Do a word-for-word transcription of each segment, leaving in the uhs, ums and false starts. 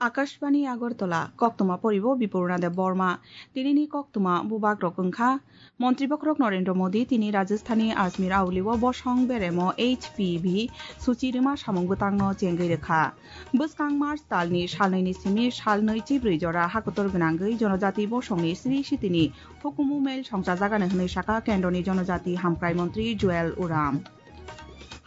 Akashbani Agartala, koktwma poribo Bipurna Deb Borma. Tinini koktwma bubak rok wngkha, Montri Bokhorok Narendra Modi tini Rajasthani Ajmer Auli o bosong beremo H P V suchi rwma samung bwtangno chengwi rwkha. Bwskang March talni salnwi ni simi salnwi chibrwi jora hakotor gwnangwi jonojati bosongni sri sitini hukumu mail songchajagani hwnwi sakha kendroni jonojati hamkrai montri Juel Uram.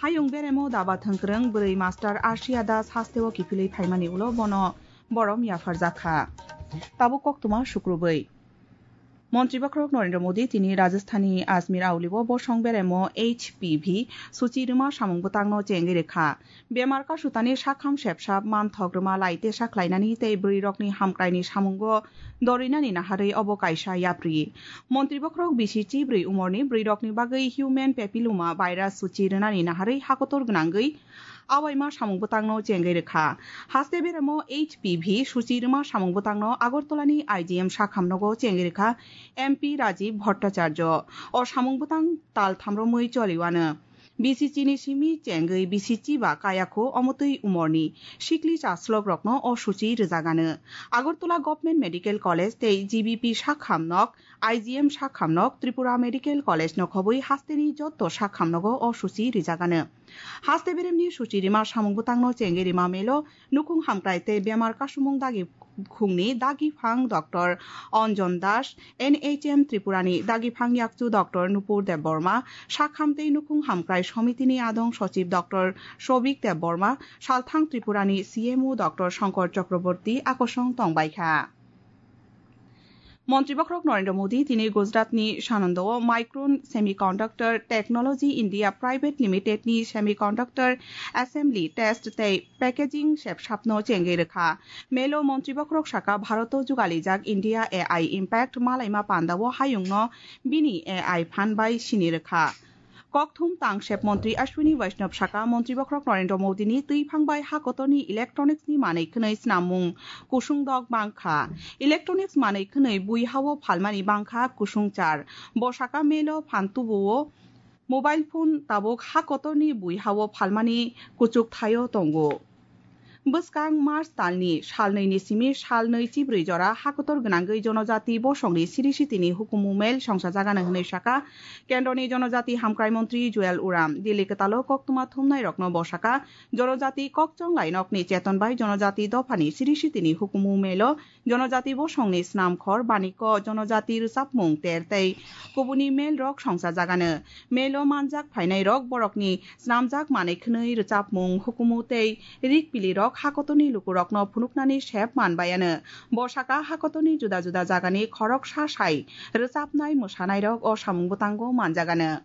Hayung beremo daba thwngkwrwng bwrwi master Arshia Das hasteo kiphilwi phaimani ulo bono borom yapharjakha. Tabuk koktwma sukrubwi. Montri Bokhorok Narendra Modi tini Rajasthani Ajmer Auli o bosong beremo H P V suchi rwma samung bwtangno chengwi rwkha. Bemar kasutani sakham sepsap manthok rwma lai tesa khlainani tei bwrwi rokni hamkraini samungo dorinani naharwi obo kaisa yapri. Montri Bokhorok bisi chibrwi umorni bwrwi rokni bagwi human papilloma virus suchi rwnani naharwi hakotor gwnangwi awaima samung bwtangno chengwi rwkha. Haste beremo H P V suchi rwma samung bwtangno Agartalani I G M sakham nogo chengwi rwkha M P Rajiv Bhattacharya. O samung bwtang tal thamromwi choliwano. B C C ni simi chengwi B C C ba kayakho omotwi umorni sikli chaslok rokno o suchi rwjagano. Agartala Government Medical College tei G B P sakham nok, I G M sakham nok, Tripura Medical College no khobwi hasteni jotto sakham nogo o suchi rwjagano. Haste beremni suchi rima samung bwtangno chengwi rima melo nukhung hamkrai tei bemar kasumung dagi khungni dagi phang Doctor Anjan Das, N H M Tripurani dagi phang yakchu Doctor Nupur Debbarma, sakham tei nukhung hamkrai somitini adong sochib Doctor Sobik Debbarma, salthang Tripurani C M O Doctor Shankar Chakraborty akosong tongbaikha. Montri Bokhorok Narendra Modi tini Gujaratni Sanandao Micron Semiconductor Technology India Private Limited ni Semiconductor Assembly Test tei Packaging sepsapno chengwi rwkha. Melo Montri Bokhorok saka Bharoto jugalijak India A I Impact malaima pandao hayungno bini A I phan bai sini rwkha. Kokthum tangsep montri Ashwini Vaishnaw saka, Montri Bokhorok Narendra Modi ni twiphang bai hakotorni electronics ni manwi khwnwi snamung kusung dok bangkha. Electronics manwi khwnwi bui hao phalmani bangkha kusung char. Bo saka melo phan tubuo mobile phone tabuk hakotorni bui hao phalmani kuchuk thaio tongo. Bwskang March talni salnwi ni simi salnwi chibrwi jora hakotor gwnangwi jonojati bosongni siri sitini hukumu mail songchajagano hwnwi saka kendroni jonojati hamkrai montri Juel Uram. Delhi kwtalo koktwma thumnairokno bo saka, jonojati kokchong lainokni cheton bai jonojati dophani siri sitini hukumu mailo jonojati bosongni snamkhor, baniko, jonojati rwchapmung ter tei kubuni mail rok songchajagano. Mailo manjak phainairok borokni snamjak manwi khwnwi rwchapmung, hukumu tei rik pilirok hakotorni lukurokno phunuknani sep manbayano. Bo saka hakotorni juda juda jagani khoroksa sai rwchapnai mwsanairok o samung bwtango manjagano.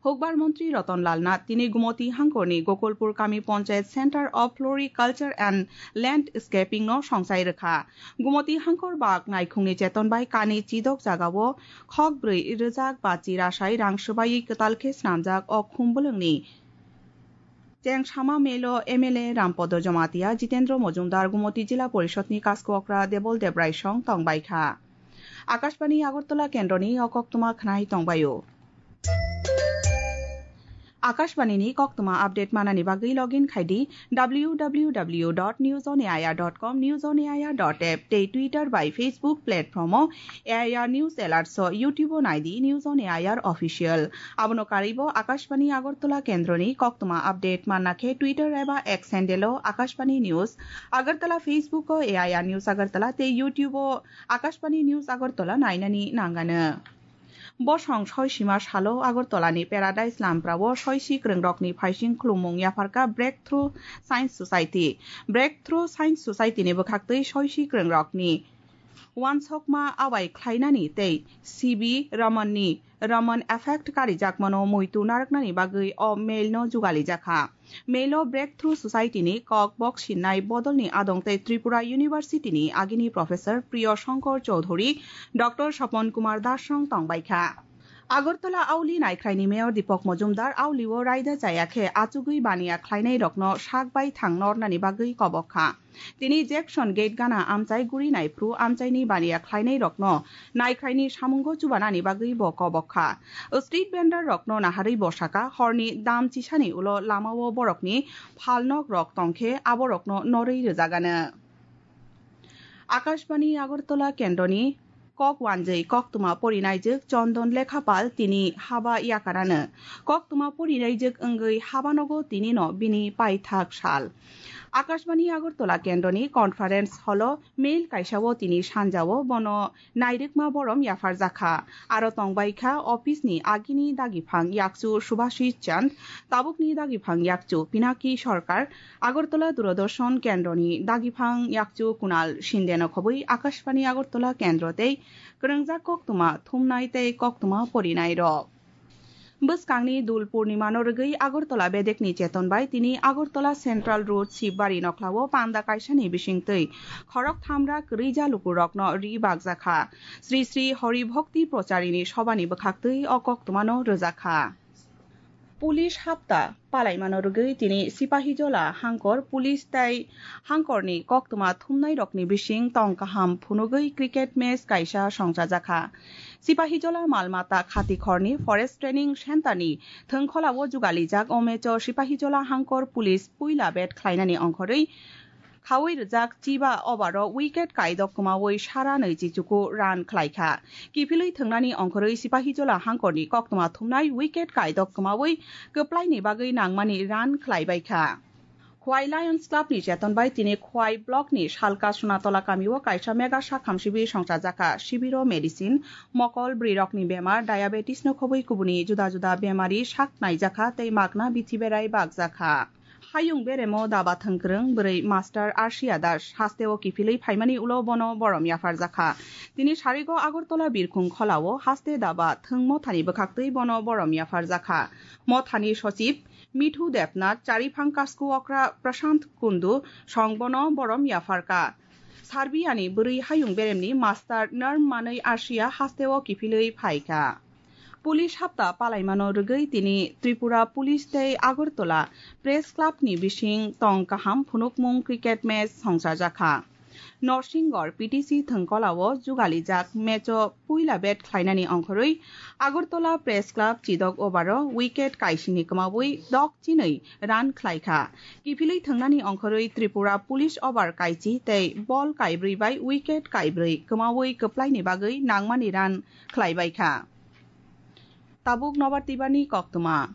Hukbar montri Ratan Lal Nath tini Gumoti hangkorni Gokulpur kami Panchayat Center of Floriculture and Landscaping no songchai rwkha. Gumoti hangkor bak naikhungni cheton bai kani chidok jagao khok brwi rwjak bachi rasai rang swbaiwi kwtal khe snamjak o khum bwlwngni chengsama melo M L A Rampodo Jamatia, Jitendra Mojumdar, Gumoti Jila Porishod ni Kaskokra Debol Debrai song tongbaikha. Akashbani Agartala kendroni o koktwma khwnai tongbaio. Akashbani ni koktwma update manani bagwi login khai di W W W dot news on A I R dot com, news on A I R dot app tei Twitter bai Facebook platform o A I R News Alerts o, YouTube o nai di News on A I R Official. Abono karwi bo Akashbani Agartala kendroni koktwma update manna khe Twitter eba X handle o Akashbani News Agartala, Facebook o A I R News Agartala tei YouTube o Akashbani News Agartala nainani nangano. Bosong soi sima salo Agartala ni Paradise Lamprao o soisi kwrwngrokni phaising khulumung yapharkha Breakthrough Science Society. Breakthrough Science Society ni bwkhaktwi soisi kwrwngrokni uansukma abai khlainani tei C V Raman ni Raman Effect karijakmano muitu narwknani bagwi o mail no jugalijakha. Melo Breakthrough Society ni kok bok sinnai bodolni adong tei Tripura University ni agini Professor Priya Shankar Chowdhury, Doctor Swapan Kumar Das song tongbaikha. Agartala Auli naikhraini Mayor Deepak Majumdar Auli o raida chaya khe achugwi baniya khlainai rokno sak bai thang nornani bagwi kobok kha. Tini Jackson Gate gana amchai guri naiphru amchaini baniya khlainai rokno naikhraini samungo chubanani bagwi bo kobok kha. Street vendor rokno naharwi bo saka horni dam chisani ulo lamao borokni phalnok rok tongkhe aborokno norwi rwjagano. Akashbani Agartala kendroni kok wanjwi koktwma porinaijwk Chondon Lekhapal tini haba yakarano. Koktwma porinaijwk wngwi habanogo tinino bini paithak sal. Akashbani Agartala kendroni conference hall o mail kaisao tini sanjao bono nairwkma borom yapharjakha. Aro tongbaikha office ni agini dagiphang yakchu Subhashis Chand, tabukni dagiphang yakchu Pinaki Sarkar, Agartala Doordarshan kendroni dagiphang yakchu Kunal Shinde no khobwi Akashbani Agartala kendro tei kwrwngjak koktwma thumnai tei koktwma porinai rok. Bwskangni Dul Purnima no rwgwi Agartala bedekni cheton bai tini Agartala Central Road Shibari nokhlao panda kaisani bisingtwi khorok thamra kwrwija lukurokno ri bakjakha. Sri Sri Hari Bhakti Procharini sobani bwkhaktwi o koktwmano rwjakha. Police hapta palaimano rwgwi tini Sipahijola hangkor police tei hangkorni koktwma thumnairokni bising tong kaham phunugwi cricket match kaisa songchajakha. Sipahijola malmata khatikhorni Forest Training Centre ni thwngkholao jugalijak o match o Sipahijola hangkor police puila bat khlainani ongkhorwi khaui rwjak chiba over o wicket kaidok kwmaui sara nwichi chuku run khlaikha. Kiphilwi thwngnani ongkhorwi Sipahijola hangkorni koktwma thumnai wicket kaidok kwmaui kwplaini bagwi nangmani run khlaibaikha. Khwai Lions Club ni cheton bai tini Khwai Block ni Salka Sunatola kamio kaisa mega sakham sibir songchajakha. Sibiro medicine, mokol, bwrwirokni bemar, diabetes no khobwi kubuni juda juda bemari sak naijakha tei magna bithi berai bakjakha. Hayung beremo daba thwngkwrwng bwrwi Master Arsia Das hasteo kiphilwi phaimani ulo bono borom yapharjakha. Tini sarigo Agartala birkhung kholao haste daba thwng mothani bwkhaktwi bono borom yapharjakha. Mothani sochib Mithu Debnath, chariphang kasku okra Prashant Kundu song bono borom yapharka. Sarbiani bwrwi hayung beremni master norm manwi Asia hasteo kiphilwi phaikha. Police hapta palaimano rwgwi tini Tripura Police tei Agartala Press Club ni bising tong kaham phunukmung cricket match songchajakha. Norsingor P T C thwngkolao jugalijak match o puila bat khlainani ongkhorwi Agartala Press Club chidok over o wicket kaisini kwmaui dok chinwi run khlaikha. Kiphilwi thwngnani ongkhorwi Tripura Police over kaichi tei ball kaibrwi bai wicket kaibrwi kwmaui kwplaini bagwi nangmani run khlaibaikha. Tabuk nobar twibani koktwma.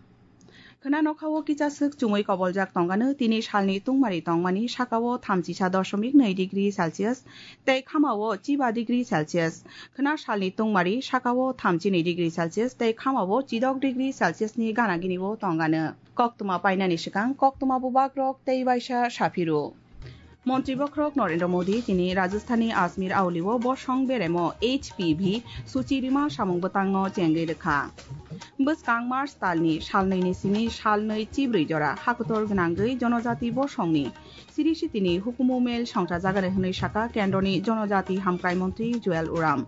Khwna nokhao kicha swk chumui koboljak tongano tini salni tungmari tongmani sakao thamchisa dosomik nwi degree Celsius tei khamao chiba degree Celsius. Khwna salni tungmari sakao thamchini degree Celsius tei khamao chidok degree Celsius ni gana gini o tongano. Koktwma painani swkang koktwma bubagrok tei waisa saphiru. Montri bokhorok Narendra Modi tini Rajasthanni Ajmer aulio bosong beremo H P V suchi rima samung bwtangno chengwi rwkha. Bwskang March talni salnwini simi salnwi chibrwi jora hakotor gwnangwi jonojati bosongni siri sitini hukumu mel songchajagani hwnwi saka kendroni jonojati hamkrai montri Juel Oram.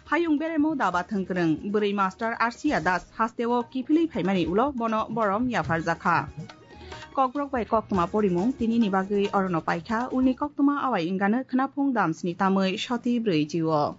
Hayung beremo daba thwngkwrwng bwrwi Master Arsia Das hasteo kiphilwi phaimani ulo bono borom yapharjakha. Kokborok bai koktwma porimung tinini bagwi orono paikha, ulni koktwma awai wngano khwnaphung damsni tamwi soti brwi chio.